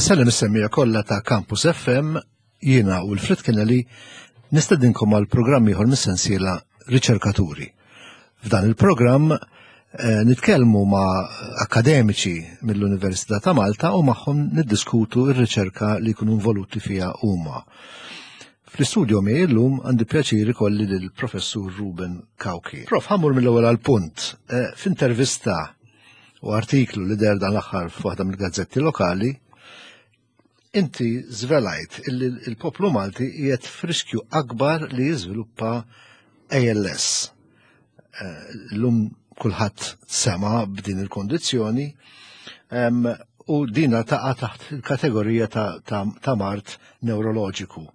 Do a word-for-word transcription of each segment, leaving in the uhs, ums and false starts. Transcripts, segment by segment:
Insellem is-semmiegħa kollha ta' Campus F M. Jiena u Wilfred Kennelly nistedinkom għal programm ieħor mis-sensiela Riċerkaturi. F'dan il-programm eh, nitkellmu ma' akademiċi mill-Università ta' Malta u magħhom niddiskutu r-riċerka li jkunu involuti fiha huma. Fl-istudio miegħi llum għandi pjaċir ikolli lill-Professur Ruben Cauchi. Prof, ħa mmur mill-ewwel għall-punt. Eh, f'intervista u artiklu li deher dan l-aħħar f'waħda mill-gazzetti lokali, inti żvelajt illi il-poplu Malti qiegħed f'riskju akbar li jiżviluppa A L S. Eh, Illum kulħadd sema b'din il-kondizzjoni u dina taqa' taħt il-kategorija ta', ta, ta mard neuroloġiku.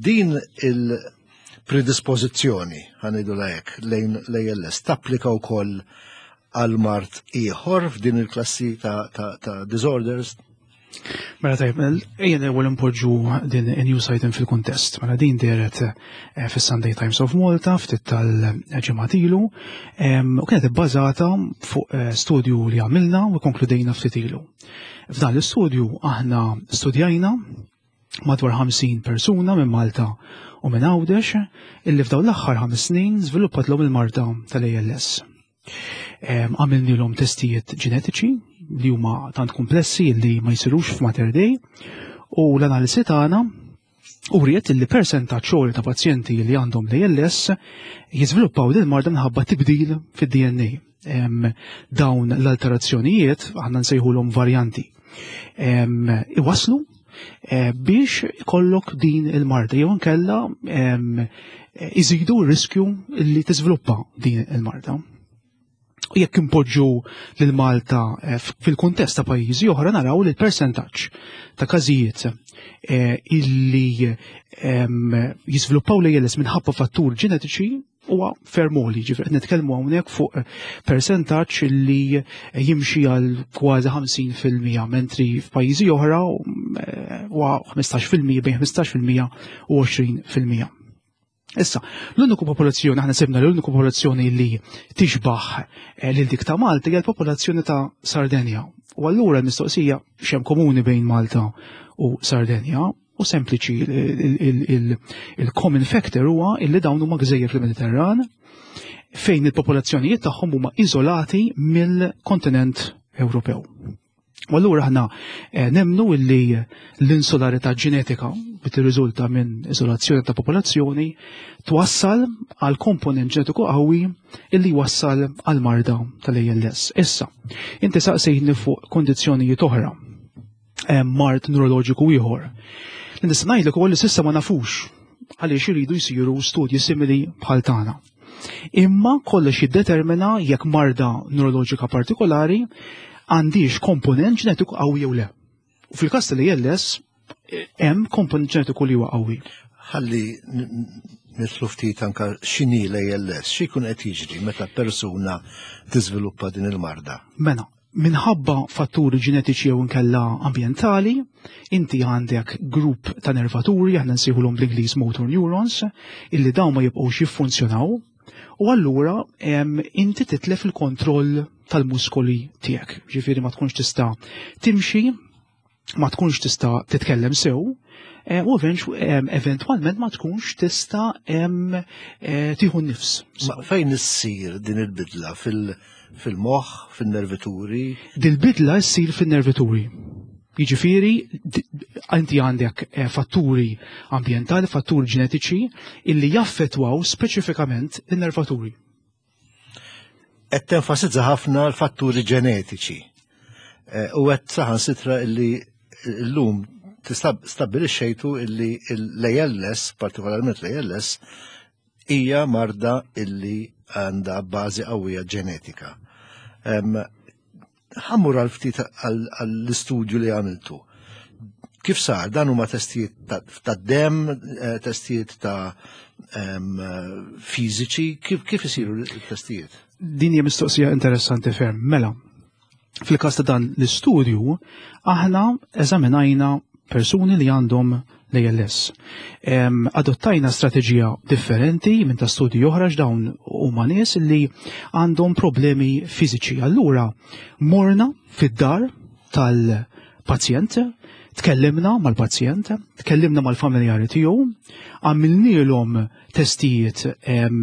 Din il-predispożizzjoni, ħa ngħidu hekk, lejn l-A L S tapplika wkoll għal mard ieħor f'din il-klassi ta', ta, ta disorders? Mela tajb, ejja l-ewwel impoġġu din news item fil-kuntest. Mela din dehret eh, fis-Sunday Times of Malta ftit tal-ġimgħat ilu u kienet ibbażata fuq eh, studju li għamilna u konkludejna ftit ilu. F'dan l-istudju aħna studjajna madwar ħamsin persuna minn Malta u minn Għawdex illi f'dawn l-aħħar ħames snin żviluppatlhom il-marda tal-A L S. Għamilnilhom testijiet ġenetiċi li huma tant komplessi li ma jsirux f'Mater Dei u l-analisi tagħna uriet li percentaġġ għoli ta' pazjenti li għandhom l-A L S jiżviluppaw din marda minħabba tibdil fid-D N A. Dawn l-alterazzjonijiet aħna nsejħulhom varjanti. Iwaslu eh, biex ikollok din il-marda jew inkella iżidu r-riskju li tiżviluppa din il-marda. U jekk impoġġu lil Malta eh, fil-kuntest ta' pajjiżi oħra, naraw li l-persentaġġ ta' każijiet eh, illi jiżviluppaw l-A L S minħabba fattur ġenetiċi huwa ferm għoli, ġifieri qed nitkellmu hawnhekk fuq persentaġġ li jimxi għal kważi ħamsin fil-mija, mentri f'pajjiżi oħra eh, huwa ħmistax fil-mija, bejn ħmistax fil-mija u għoxrin fil-mija. Issa, l-uniku popolazzjoni, aħna sibna l-uniku popolazzjoni li tixbaħ eh, lil dik ta' Malta hija l-popolazzjoni ta' Sardenja. U allura l-mistoqsija x'hemm komuni bejn Malta u Sardenja u sempliċi, il-common factor huwa illi dawn huma gżejjer fil-Mediterran fejn il-popolazzjonijiet tagħhom huma iżolati mill-kontinent Ewropew. U allura aħna eh, nemnu illi l-insularità ġenetika li tirriżulta minn izolazzjoni ta' popolazzjoni twassal għal komponent ġenetiku qawwi illi wassal għal marda tal-A L S. Issa, inti saqsejtni fuq kondizzjonijiet oħra, eh, mard neuroloġiku ieħor. Li nista' ngħidlek ukoll li s'issa ma nafux għaliex iridu jsiru studji simili bħal tagħna. Imma kollox jiddetermina jekk marda neuroloġika partikolari għandix komponent ġenetiku qawwi jew le. U fil-każ tal-A L S hemm komponent ġenetiku li huwa qawwi. Ħalli nidħlu ftit anka x'inhi l-A L S, x'ikun qed jiġri meta persuna tiżviluppa din il-marda? Mela, minħabba fatturi ġenetiċi jew inkella ambjentali, inti għandek grupp ta' nervaturi, aħna nsejħulhom bl-Ingliż motor neurons, illi dawn ma jibqgħux jiffunzjonaw, u allura inti titlef il-kontroll tal-muskoli tiegħek. Ġifieri ma tkunx tista' timxi, ma tkunx tista' titkellem sew, eh, u eventwalment ma tkunx tista' eh, tieħu nifs. Fejn issir din il-bidla? Fil-moħħ, fin-nervituri? Dil-bidla ssir fin-nervituri. Jiġifieri inti għandek eh, fatturi ambjentali, fatturi ġenetiċi illi jaffetwaw speċifikament in-nervaturi. Qed tenfasizza ħafna l-fatturi ġenetiċi. Eh, u qed saħansitra illi llum stabbilixxejtu illi l-A L S, partikolarment l-A L S, hija marda illi għandha bażi qawwija ġenetika. Ħa mmur għal ftit għall-istudju li għamiltu. Kif sar? Dan huma testijiet ta' dem, eh, testijiet ta' fiżiċi, kif kif isiru l-testijiet? Din hija mistoqsija interessanti ferm. Mela, fil-każ ta' dan l-istudju, aħna eżaminajna persuni li għandhom l-A L S. Adottajna strateġija differenti minn ta' studji oħra, dawn huma nies li għandhom problemi fiżiċi. Allura, morna fid-dar tal pazjent, tkellimna mal-pazjent, tkellimna mal-familjari tiegħu, għamilnielhom testijiet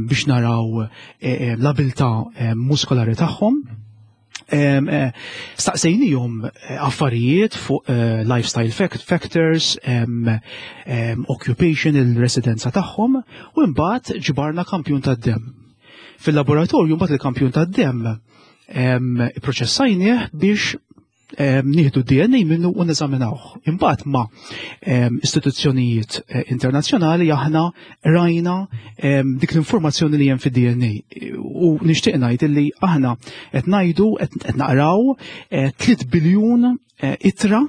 biex naraw eh, l-abilità muskolari tagħhom. Eh, staqsejnihom eh, affarijiet fuq lifestyle factors, occupation, il-residenza tagħhom, u mbagħad ġbarna kampjun tad-demm. Fil-laboratorju mbagħad il-kampjun tad-demm proċessajnieh biex nieħdu D N A minnu u neżaminawh. Imbagħad ma' istituzzjonijiet eh, internazzjonali aħna rajna dik l-informazzjoni li hemm fid-D N A. U nixtieq ngħid li aħna qed ngħidu, qed naqraw tliet biljun eh, ittra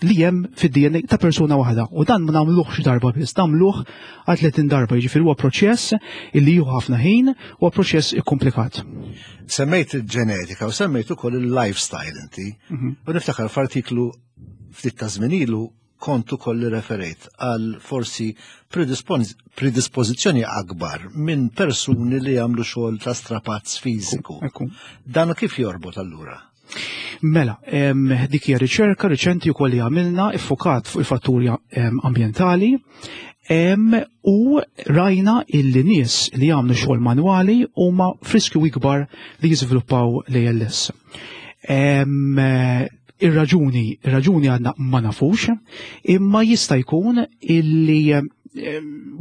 li hemm fid-D N A ta' persuna waħda. U dan ma nagħmluhx darba biss, nagħmluh għal tletin darba, jiġifieri huwa proċess illi jieħu ħafna ħin, huwa proċess ikkomplikat. Semmejt il-ġenetika u semmejt ukoll il-lifestyle inti. Mhm. U niftakar f'artiklu ftit ta' żmien ilu kont ukoll referejt għal forsi predispożizzjoni akbar minn persuni li jagħmlu xogħol ta' strapazz fiżiku. Dan kif jorbot allura? Mela, dik hija riċerka riċenti wkoll li għamilna, iffokat fuq il-fatturi ambjentali u rajna illi nies li jagħmlu xogħol manwali huma f'riskju ikbar li jiżviluppaw l-A L S. Ir-raġuni, ir-raġuni għadna ma nafux, imma jista' jkun illi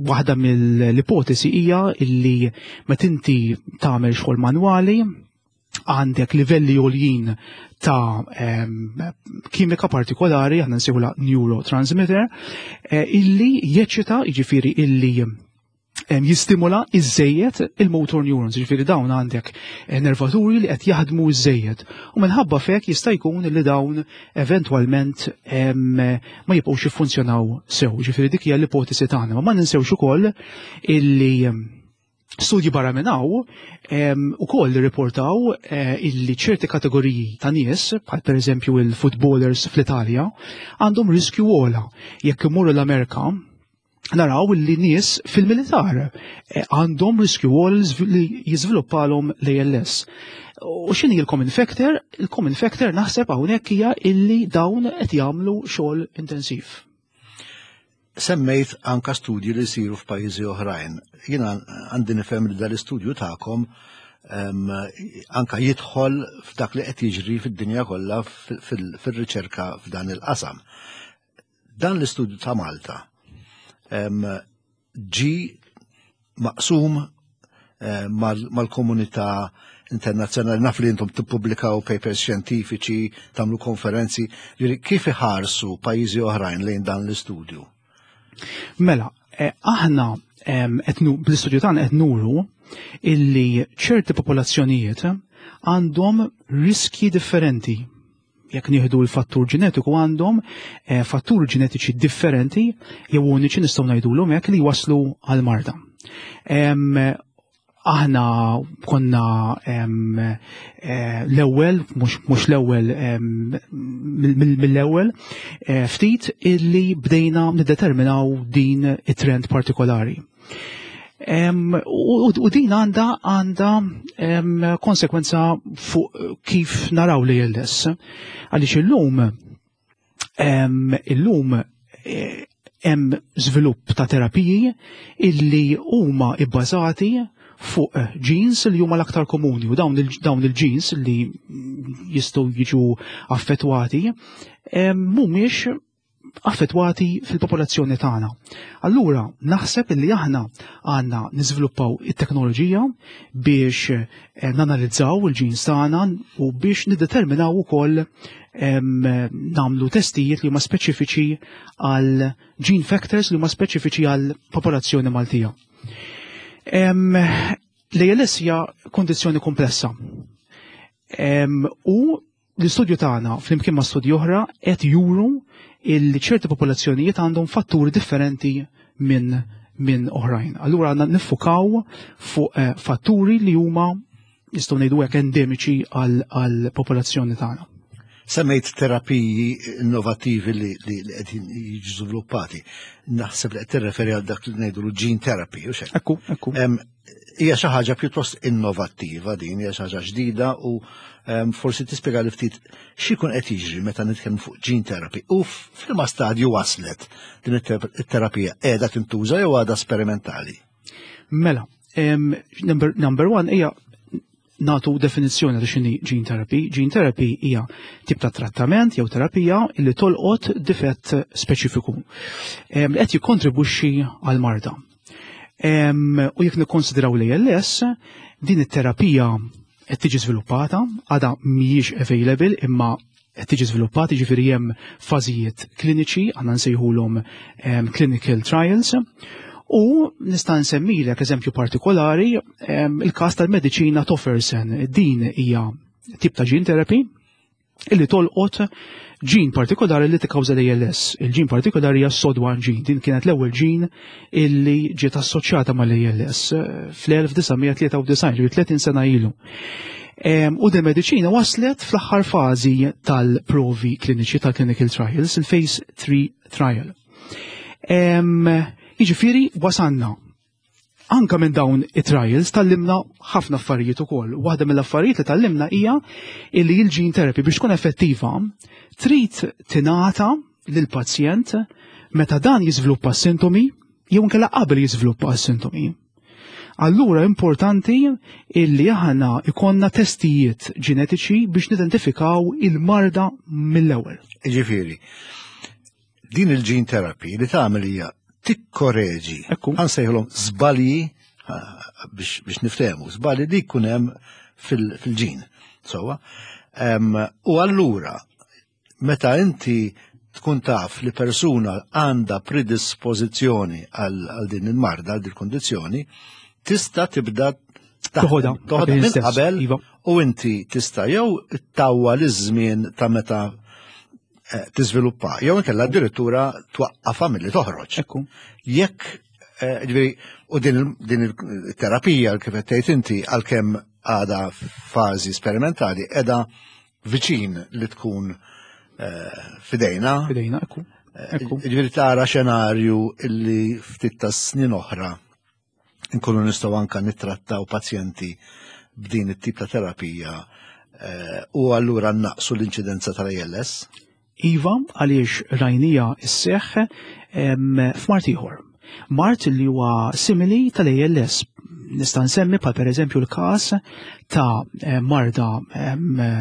waħda mill-ipotesi hija illi meta inti tagħmel xogħol manwali għandek livelli għoljin ta' kimika partikolari, aħna nsejħulha neurotransmitter, eh, illi jeċċita, jiġifieri illi jistimula iżżejjed il-motor neurons, jiġifieri dawn għandek eh, nervaturi li qed jaħdmu iżżejjed. U minħabba f'hekk jista' jkun li dawn eventwalment ma jibqgħux jiffunzjonaw sew. Jiġifieri dik hija l-ipotesi tagħna. Ma ninsewx ukoll illi studji barra minn hawn ukoll riportaw eh, illi ċerti kategoriji ta' nies, bħal per eżempju il-footballers fl-Italja, għandhom riskju ogħla. Jekk imorru l-Amerika, naraw li nies fil-militar eh, għandhom riskju ogħla li jiżviluppalhom l-A L S. U x'inhi il-common factor? Il-common factor naħseb hawnhekk hija illi dawn qed jagħmlu xogħol intensiv. Semmejt anka studji li jsiru f'pajjiżi oħrajn. Jiena għandi nifhem li dal-istudju tagħkom anka jidħol f'dak li qed jiġri fid-dinja kollha fil-riċerka f'dan il-qasam. Dan l-istudju ta' Malta ġi maqsum eh, mal-komunità internazzjonali? Naf li intom tippubblikaw papers xjentifiċi, tagħmlu konferenzi, kif iħarsu pajjiżi oħrajn lejn dan l-istudju? Mela, eh, aħna bl-istudju tagħna qed nuru illi ċerti popolazzjonijiet għandhom riski differenti. Jekk nieħdu l-fattur ġenetiku, għandhom eh, fatturi ġenetiċi differenti jew uniċi, nistgħu ngħidulhom hekk, li waslu għal marda. Aħna konna eh, l-ewwel, mhux l-ewwel mill-ewwel, eh, ftit illi bdejna niddeterminaw din it-trend partikolari. U din għandha għandha konsekwenza fuq kif naraw l-A L S. Għaliex illum illum eh, hemm żvilupp ta' terapiji illi huma ibbażati fuq genes li huma l-aktar komuni, u dawn il-genes li jistgħu jiġu affettwati mhumiex affettwati fil-popolazzjoni tagħna. Allura naħseb li aħna għandna niżviluppaw it-teknoloġija biex eh, nanalizzaw il-genes tagħna u biex niddeterminaw ukoll nagħmlu testijiet li huma speċifiċi għal gene factors li huma speċifiċi għal popolazzjoni Maltija. L-A L S hija kondizzjoni komplessa. U l-istudju tagħna flimkien ma' studji oħra qed juru illi ċerti popolazzjonijiet għandhom fatturi differenti minn minn oħrajn. Allura għandna niffukaw fuq eh, fatturi li huma, nistgħu ngħidu hekk, endemiċi għal popolazzjoni tagħna. Semmejt terapiji innovativi li li qegħdin jiġu żviluppati. Naħseb li qed tirreferi għal dak li ngħidu gene therapy, u xek. Ekku, ekku. Hija xi ħaġa pjuttost innovattiva din, hija xi ħaġa ġdida u forsi tispjega li ftit x'ikun qed jiġri meta nitkellmu fuq gene therapy u f'liema stadju waslet din it-terapija, qiegħda tintuża jew għadha sperimentali? Mela, number, number one hija nagħtu definizzjoni ta' x'inhi gene therapy. Gene therapy hija tip ta' trattament jew terapija li tolqot difett speċifiku li qed jikkontribwixxi għal marda. U jekk nikkonsidraw l-A L S, din it-terapija qed tiġi żviluppata, għadha mhijiex available imma qed tiġi żviluppata, ġifieri hemm fażijiet kliniċi, għandna nsejħulhom clinical trials. U nista' nsemmilek eżempju partikolari, il-każ tal-mediċina Tofersen. Din hija tip ta' gene therapy illi tolqot gene partikolari li tikkawża l-A L S. Il-gene partikolari hija S O D one gene. Din kienet l-ewwel gene illi ġiet assoċjata mal-A L S fl-elf disa' mija tlieta u disgħin, ġifieri tletin sena ilu. U din mediċina waslet fl-aħħar fażi tal-provi kliniċi, tal-clinical trials, il-phase three trial. Jiġifieri wasanna. Anka minn dawn it-trials tgħallimna ħafna affarijiet ukoll. Waħda mill-affarijiet li tgħallimna hija illi il-gene therapy, biex tkun effettiva, trid tingħata lill-pazjent meta dan jiżviluppa sintomi jew inkella qabel jiżviluppa sintomi. Allura importanti illi aħna ikollna testijiet ġenetiċi biex nidentifikaw il-marda mill-ewwel. Ġifieri, din il-gene therapy li tagħmel hija tikkoreġi, ħa nsejħulhom żbalji biex, biex niftehmu, żbalji li jkun hemm fil-ġin. Sewwa. U allura, meta inti tkun taf li persuna għandha predispożizzjoni għal din il-marda, għal din il-kondizzjoni, tista' tibda toħodha toħodha minn qabel iva. U inti tista' jew ttawwal iż-żmien ta' meta eh, tiżviluppa, jew inkella addirittura twaqqafha milli toħroġ. Ekku. Jekk eh, ġifieri, u din din il-terapija kif qed tgħid inti, għalkemm għadha fażi sperimentali, qiegħda viċin li tkun eh, fidejna. Fidejna, ekku. Ekku. Ġifieri tara xenarju illi ftit ta' snin oħra nkunu nistgħu anka nittrattaw pazjenti b'din it-tip ta' terapija eh, u allura naqsu l-inċidenza tal-A L S? Iva, għaliex rajnieha sseħħ f'mard ieħor. Mard li huwa simili tal-A L S. Nista' nsemmi bħal pereżempju l-każ ta' eh, marda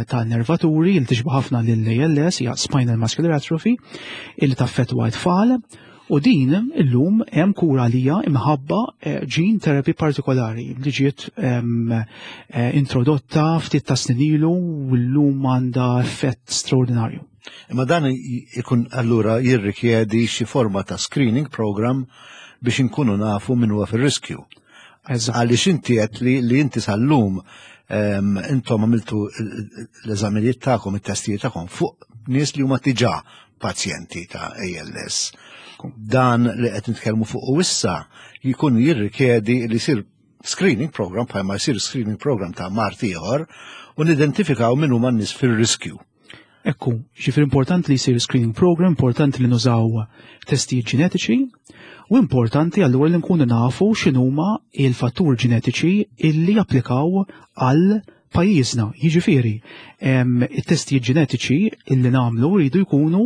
ta' nervaturi li tixbaħ ħafna lill-A L S, hija spinal muscular atrophy, illi taffettwa t-tfal. U din illum hemm kura għaliha imħabba eh, gene therapy partikolari li ġiet eh, introdotta ftit ta' snin ilu u llum għandha effett straordinarju. Imma dan ikun allura jirrikjedi xi forma ta' screening program biex inkunu nafu min huwa fir-riskju. Għaliex inti qed li, li inti sal-lum intom għamiltu l-eżaminijiet tagħkom, it-testijiet tagħkom fuq nies li huma diġà pazjenti ta' A L S. Dan li qed nitkellmu fuq u issa jkun jirrikjedi li jsir screening program bħalma jsir screening program ta' mard ieħor u nidentifikaw min huma n-nies fir-riskju. Ekku, ġifieri importanti li jsir screening program, importanti li nużaw testijiet ġenetiċi u importanti allura li nkunu nafu x'inhuma il-fattur ġenetiċi illi japplikaw għal pajjiżna. Jiġifieri, it-testijiet ġenetiċi illi nagħmlu jridu jkunu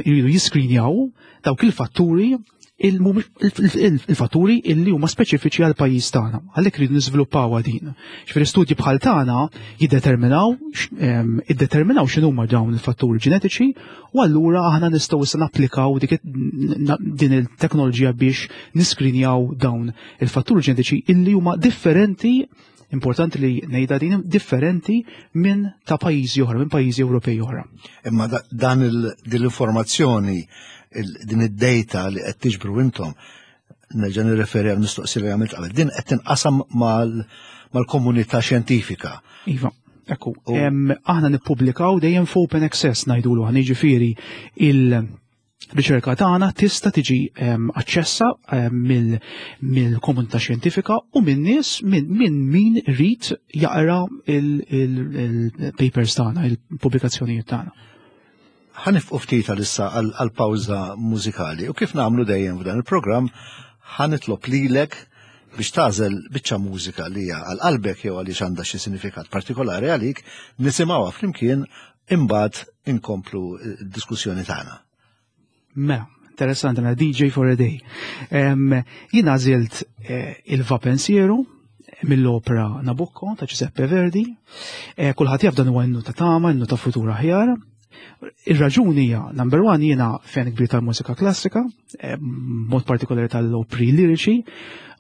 jridu jiskrinjaw dawk il-fatturi il-fatturi illi huma speċifiċi għal pajjiż tagħna. Għalhekk rridu niżviluppaw din. Ġifieri studji bħal tagħna jiddeterminaw iddeterminaw x'inhuma dawn il-fatturi ġenetiċi u allura aħna nistgħu issa napplikaw din il-teknoloġija biex niskrinjaw dawn il-fatturi ġenetiċi illi huma differenti, importanti li ngħidha din, differenti minn ta' pajjiżi oħra, minn pajjiżi Ewropej oħra. Imma dan din l-informazzjoni, din id-data li qed tiġbru intom, nerġa' nirreferi għal mistoqsija li għamilt qabel, din qed tinqasam mal-komunità xjentifika? Iva. Ekku, aħna nippubblikaw dejjem f'open access ngħidulu aħna, jiġifieri il Riċerka tagħna tista' tiġi aċċessa mill-komunità xjentifika u minn nies minn min irid jaqra il-papers tagħna, il-pubblikazzjonijiet tagħna. Ħa nieqfu ftit għalissa għal-pawża mużikali u kif nagħmlu dejjem f'dan il-programm ħa nitlob lilek biex tagħżel biċċa mużika li hija għal qalbek jew għaliex għandha xi sinifikat partikolari għalik, nisimgħuha flimkien imbagħad inkomplu d-diskussjoni tagħna. Mela, interessanti, mela D J for a day. Jien għażilt il Va Pensiero mill-opera Nabucco ta' Giuseppe Verdi. Kulħadd jaf dan huwa innu ta' tama, innu ta' futur aħjar. Ir-raġuni hija, number one, jiena fan kbir tal-mużika klassika, mod partikolari tal-opri liriċi,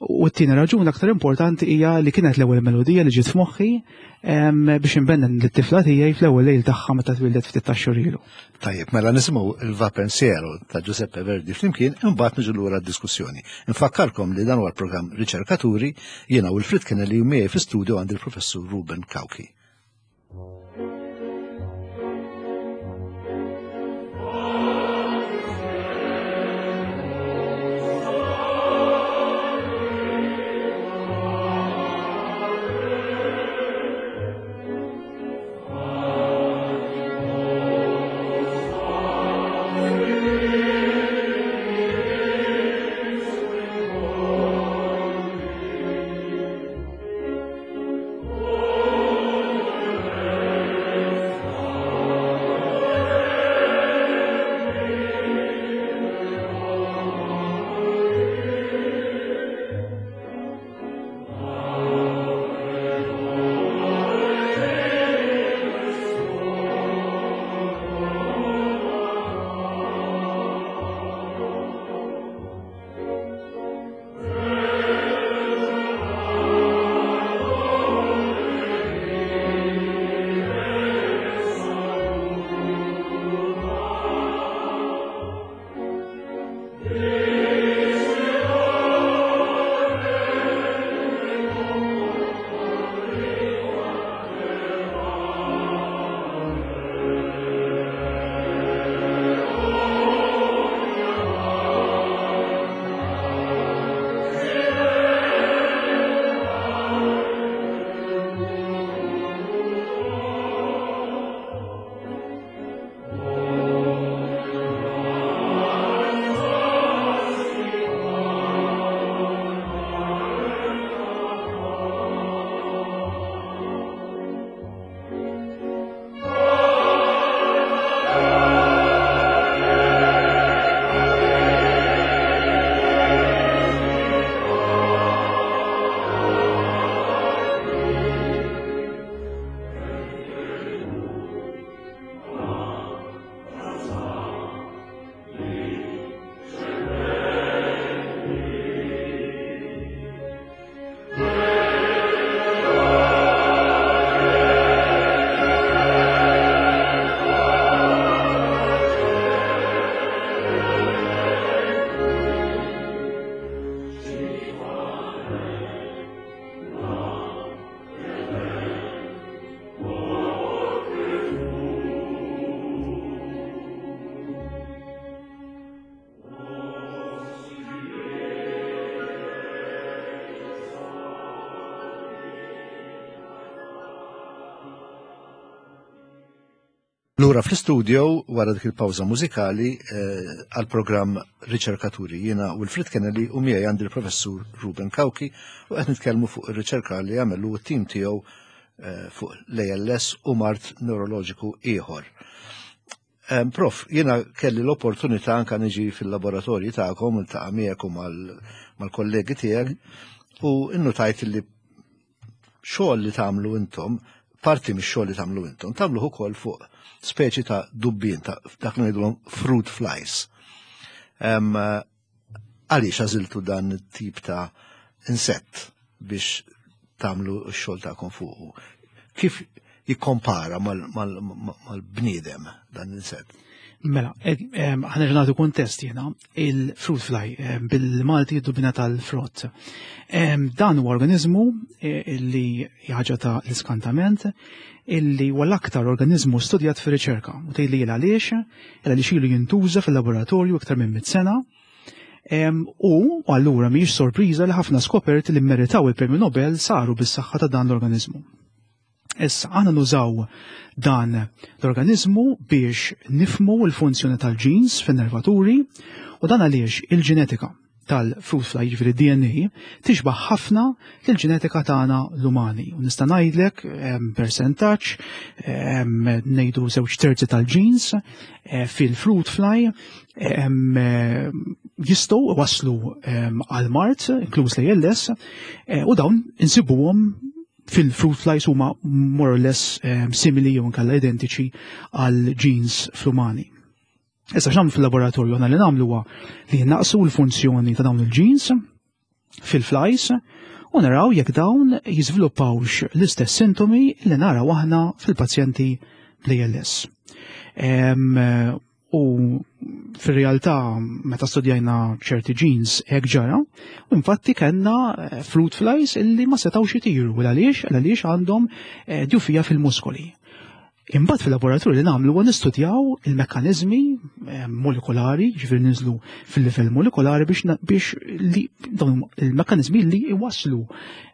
u t-tieni raġuni aktar importanti hija li kienet l-ewwel melodija li ġiet f'moħħi biex inbennen lit-tifla tiegħi fl-ewwel lejl tagħha meta twildet ftit tax-xhur ilu. Tajjeb, mela nisimgħu il-Va Pensiero ta' Giuseppe Verdi flimkien, imbagħad niġu lura d-diskussjoni. Infakkarkom li dan huwa l-programm Riċerkaturi, jiena Wilfred Kennelly u miegħi fi-studio għandi l-Professur Ruben Cauchi. Lura fl-istudio wara dik il-pawża mużikali għal-programm Riċerkaturi. Jiena Wilfred Kennelly u miegħi għandi l-Professur Ruben Cauchi u qed nitkellmu fuq ir-riċerka li għamelu t-tim tiegħu fuq l-A L S u mard neuroloġiku ieħor. Prof, jiena kelli l-opportunità anka niġi fil-laboratorji tagħkom, iltaqa' miegħek u mal-kollegi tiegħek u innutajt li xogħol li tagħmlu intom, parti mix-xogħol li tagħmlu intom, tagħmluh ukoll fuq speċi ta' dubbien, ta' dak li ngħidulhom fruit flies. Għaliex għażiltu dan it-tip ta' insett biex tagħmlu x-xogħol tagħkom fuqu? Kif jikkompara mal-bniedem dan l-insett? Mela, ħa nerġa' nagħtu kuntest jiena, il-fruit fly, bil-Malti id-dubina tal-frott. Dan huwa organizmu eh, illi ħaġa ta' l-iskantament, illi huwa l-aktar organizmu studjat fir-riċerka. U tgħidli għaliex, għaliex ilu jintuża fil-laboratorju iktar minn mit sena. U allura mhijiex sorpriża li ħafna skoperti li meritaw il-Premju Nobel saru bis-saħħa ta' dan l-organizmu. Issa, aħna nużaw dan l-organizmu biex nifhmu l-funzjoni tal-genes fin-nervaturi u dan għaliex il-ġenetika tal-fruit fly, jiġifieri D N A, tixbaħ ħafna l-ġenetika tagħna l-umani. U nista' ngħidlek percentaġġ, ngħidu żewġ terzi tal-genes eh, fil-fruit fly jistgħu waslu għal mard, inkluż l-A L S, eh, u dawn insibuhom fil-fruit flies, huma more or less um, simili jew inkella identiċi għal genes fl-umani. Issa, x'nagħmlu fil-laboratorju? Aħna li nagħmlu huwa li naqsu l-funzjoni ta' dawn il-genes fil-flies u naraw jekk dawn jiżviluppawx l-istess sintomi li naraw aħna fil-pazjenti bl-A L S. U fil-realtà, meta studjajna ċerti genes, hekk ġara, u infatti kellna eh, fruit flies illi ma setgħux itiru, u għaliex għaliex għandhom eh, djufija fil-muskoli. Imbagħad fil-laboratorju li nagħmlu huwa nistudjaw il-mekkaniżmi eh, molekolari, ġifieri ninżlu fil-livell molekolari biex biex li dawn il-mekkaniżmi li jwaslu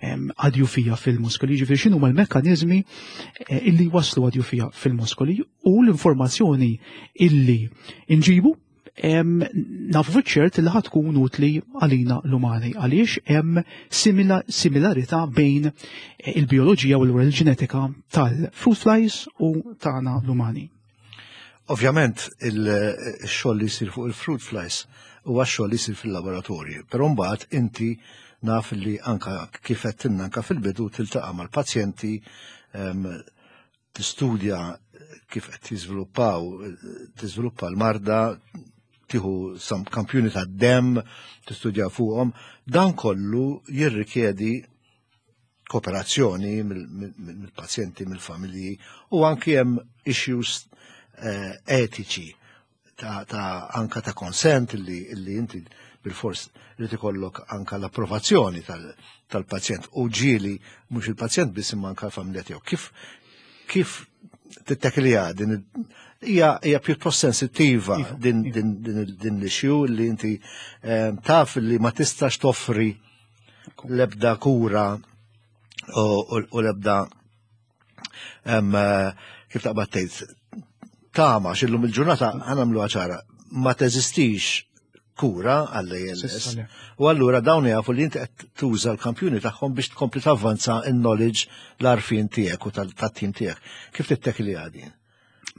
għad-djufija fil-muskoli, ġifieri x'inhu l-mekkaniżmi eh, illi jwaslu għad-djufija fil-muskoli, u l-informazzjoni illi inġibu nafu fiċ-ċert li ħa tkun utli għalina l-umani, għaliex hemm similarità bejn eh, il-bioloġija u l-ġenetika tal-fruit flies u tagħna l-umani. Ovvjament il-xogħol li jsir fuq il-fruit flies huwa xogħol li jsir fil-laboratorju, però mbagħad inti naf li anka kif għedtilna anka fil-bidu tiltaqa' mal-pazjenti, tistudja kif qed jiżviluppaw tiżviluppa l-marda, tieħu sam kampjuni ta' dem, tistudja fuqhom, dan kollu jirrikjedi kooperazzjoni mill-pazjenti, mill-familji u anki hemm issues eh, etiċi ta', ta anka ta' consent li, li inti bil-fors li tikollok anka l-approvazzjoni tal-pazjent u ġieli mhux il-pazjent biss imma anka l-familja tiegħu. Kif kif tittekilja din? Hija hija pjuttost sensittiva iva, din iva. din din din l-issue li inti eh, taf li ma tistax toffri l-ebda kura u l-ebda eh, kif taqbad tgħid tama x'illum il-ġurnata, ħa nagħmlu ċara, ma teżistix kura għall-A L S. U allura dawn jafu li inti qed tuża l-kampjuni tagħhom biex tkompli tavvanza in-knowledge, l-għarfien tiegħek u tat-tim tiegħek. Kif tittekli għadin?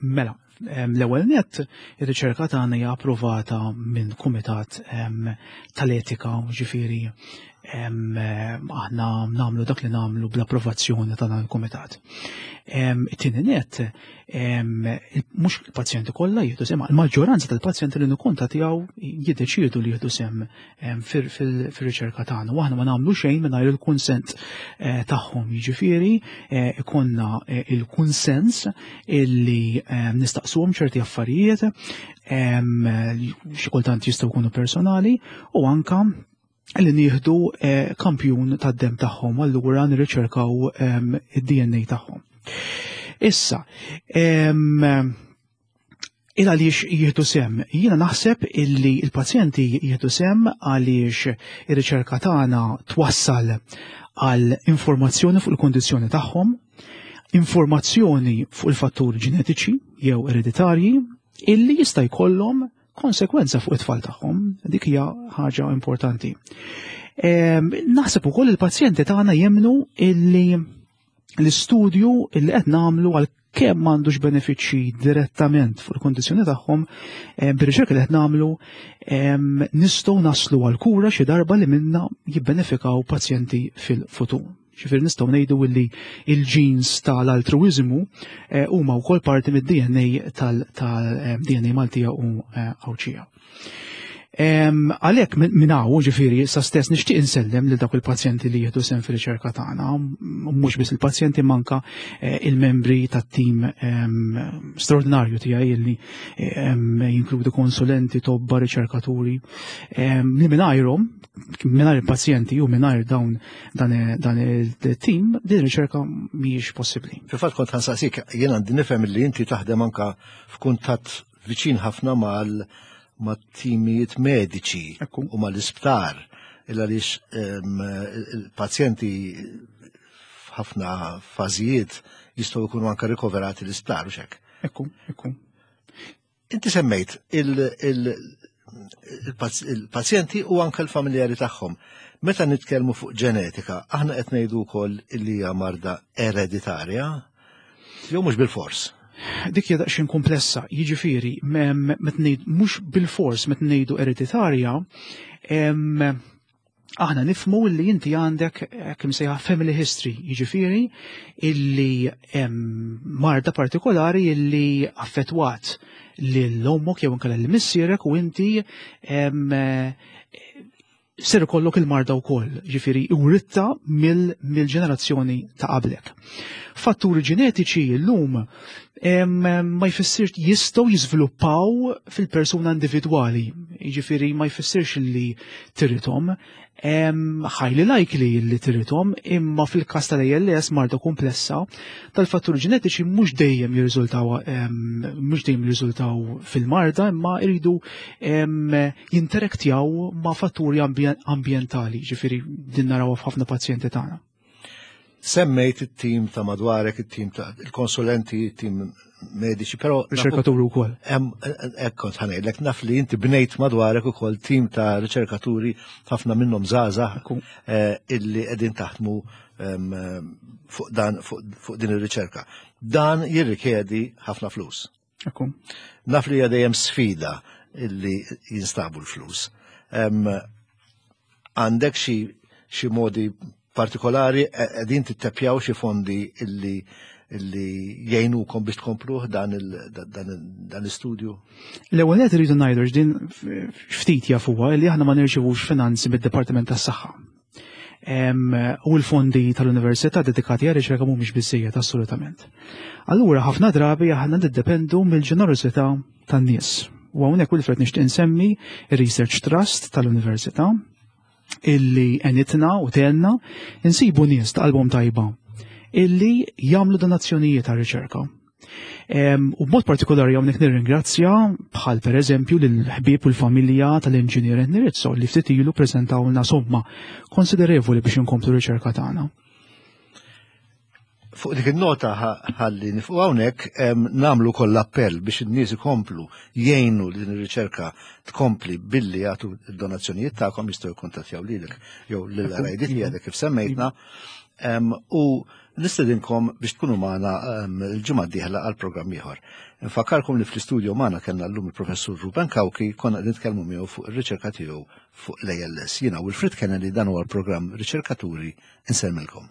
Mela, l-ewwel net, ir-riċerka tagħna hija approvata minn kumitat tal-etika, ġifieri aħna nagħmlu dak li nagħmlu bl-approvazzjoni ta' dan il-kumitat. It-tieni net, mhux il-pazjenti kollha jieħdu sehem, il-maġġoranza tal-pazjenti li nikkuntattjaw jiddeċiedu li jieħdu sehem fir-riċerka tagħna u aħna ma nagħmlu xejn mingħajr il-kunsent eh, tagħhom. Jiġifieri eh, ikollna eh, il-kunsens illi nistaqsuhom ċerti affarijiet, xi kultant jistgħu jkunu personali, u anka li nieħdu kampjun tad-dem tagħhom, allura nirriċerkaw id-D N A tagħhom. Issa, il għaliex jieħdu sehem? Jiena naħseb illi il-pazjenti jieħdu sehem għaliex ir-riċerka tagħna twassal għal informazzjoni fuq il-kondizzjoni tagħhom, informazzjoni fuq il-fatturi ġenetiċi jew ereditarji illi jista' jkollhom konsekwenza fuq it-tfal tagħhom. Dik hija ħaġa importanti. Naħseb ukoll il-pazjenti tagħna jemnu illi l-istudju illi qed nagħmlu, għal kemm m'għandux benefiċċji direttament fuq il-kondizzjoni tagħhom, eh, bir-riċerka li qed nagħmlu nistgħu naslu għal kura xi darba li minna jibbenefikaw pazjenti fil-futur. Ġifieri nistgħu ngħidu li il-genes tal-altruizmu eh, huma wkoll parti mid-D N A tal-D N A Maltija u eh, Għawdxija. Għalhekk minn hawn, ġifieri, sa stess nixtieq insellem lil dawk il-pazjenti li jieħdu sehem fir-riċerka tagħna, mhux biss il-pazjenti, manka eh, il-membri tat-tim straordinarju tiegħi li jinkludi konsulenti, tobba, riċerkaturi, li mingħajrhom, mingħajr il-pazjenti u mingħajr dawn dan il-tim, din ir-riċerka mhijiex possibbli. Fil-fatt kont ħa nsaqsik, jien għandi nifhem li inti taħdem anka f'kuntatt viċin ħafna mal ma' timijiet mediċi u mal-isptar, illa għaliex il-pazjenti f'ħafna fażijiet jistgħu jkunu anka rikoverati l-isptar u hekk. Ekku, ekku. Inti semmejt il-pazjenti u anka l-familjari tagħhom. Meta nitkellmu fuq ġenetika, aħna qed ngħidu wkoll li hija marda ereditarja, jew mhux bil-fors? Dik hija daqsxejn komplessa, jiġifieri mhux bil-fors meta ngħidu ereditarja, aħna nifhmu li inti għandek kemm sejħa family history, jiġifieri illi marda partikolari illi affettwat lil ommok jew inkella lil missierek u inti ser ikollok il-marda wkoll, ġifieri writtha mill-ġenerazzjoni ta' qablek. Fatturi ġenetiċi llum ma jfissirx jistgħu jiżviluppaw fil-persuna individwali, jiġifieri ma jfissirx li tirithom, highly likely li tirithom, imma fil-każ tal-A L S, marda komplessa, tal-fatturi ġenetiċi mhux dejjem jirriżultaw mhux dejjem jirriżultaw fil-marda, imma jridu jinteraktjaw ma' fatturi ambjentali, ġifieri din naraw f'ħafna pazjenti tagħna. Semmejt it-tim ta' madwarek, it-tim ta' il-konsulenti, it-tim mediċi, però Riċerkaturi wkoll. Hekk kont ħa ngħidlek, naf li inti bnejt madwarek ukoll tim ta' riċerkaturi, ħafna minnhom żgħażagħ eh, illi qegħdin taħdmu fuq dan fuq din ir-riċerka. Dan jirrikjedi ħafna flus. Ekku. Naf li hija dejjem sfida illi jinstabu l-flus. Għandek xi xi modi partikolari, qegħdin tittepjaw xi fondi illi illi jgħinukom biex tkompluh dan l-istudju? L-ewwel qed irridu ngħidu din ftit jafuha li aħna ma nirċevux finanzi mid-Dipartiment tas-Saħħa. U l-fondi tal-Università dedikati għal riċerka mhumiex biżejjed assolutament. Allura ħafna drabi aħna niddependu mill-ġenerosità tan-nies. U hawnhekk, Wilfred, nixtieq insemmi ir-Research Trust tal-Università illi għenitna u tgħinna insibu nies ta' qalbhom tajba illi jagħmlu donazzjonijiet ta' riċerka. U b'mod partikolari hawnhekk nirringrazzja bħal pereżempju lill-ħbieb u l-familja tal-inġinier Rizzo li ftit ilu preżentawlna somma konsiderevoli biex inkomplu riċerka tagħna. Fuq dik il-nota ħalli nieqfu hawnhekk, nagħmlu koll appell biex in-nies ikomplu jgħinu li din ir-riċerka tkompli billi jagħtu d-donazzjonijiet tagħkom, jistgħu jikkuntattjaw lilek jew lil R I D tiegħek kif semmejtna. U nistedinkom biex tkunu magħna il-ġimgħa d-dieħla għal programm ieħor. Nfakkarkom li fl-istudio magħna kellna llum il-Professur Ruben Cauchi, konna nitkellmu miegħu fuq ir-riċerka tiegħu fuq l-A L S. Jiena Wilfred Kennedy, dan huwa l-programm Riċerkaturi, insellmilkom.